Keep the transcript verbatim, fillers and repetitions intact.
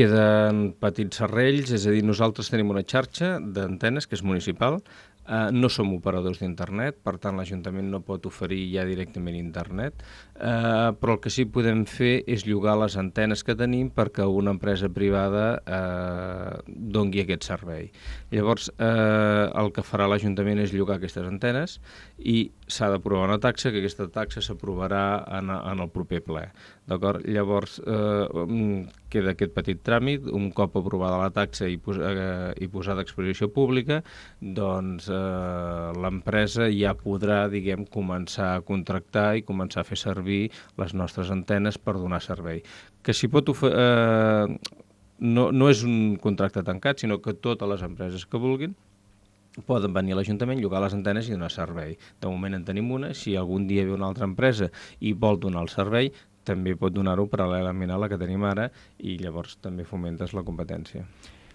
Queden petits serrells, és a dir, nosaltres tenim una xarxa d'antenes que és municipal, eh, no som operadors d'internet, per tant l'Ajuntament no pot oferir ja directament internet, eh, però el que sí podem fer és llogar les antenes que tenim perquè una empresa privada eh, doni aquest servei. Llavors, eh, el que farà l'Ajuntament és llogar aquestes antenes i s'ha d'aprovar una taxa, que aquesta taxa s'aprovarà en, en el proper ple. D'acord? Llavors, eh, queda aquest petit tràmit, un cop aprovada la taxa i, pos eh, i posada a exposició pública, doncs eh, l'empresa ja podrà, diguem, començar a contractar i començar a fer servir les nostres antenes per donar servei. Que s'hi pot oferir... Eh, no, no és un contracte tancat, sinó que totes les empreses que vulguin poden venir a l'Ajuntament, llogar les antenes i donar servei. De moment en tenim una, si algun dia ve una altra empresa i vol donar el servei, també pot donar-ho paral·lelament a la que tenim ara i llavors també fomentes la competència.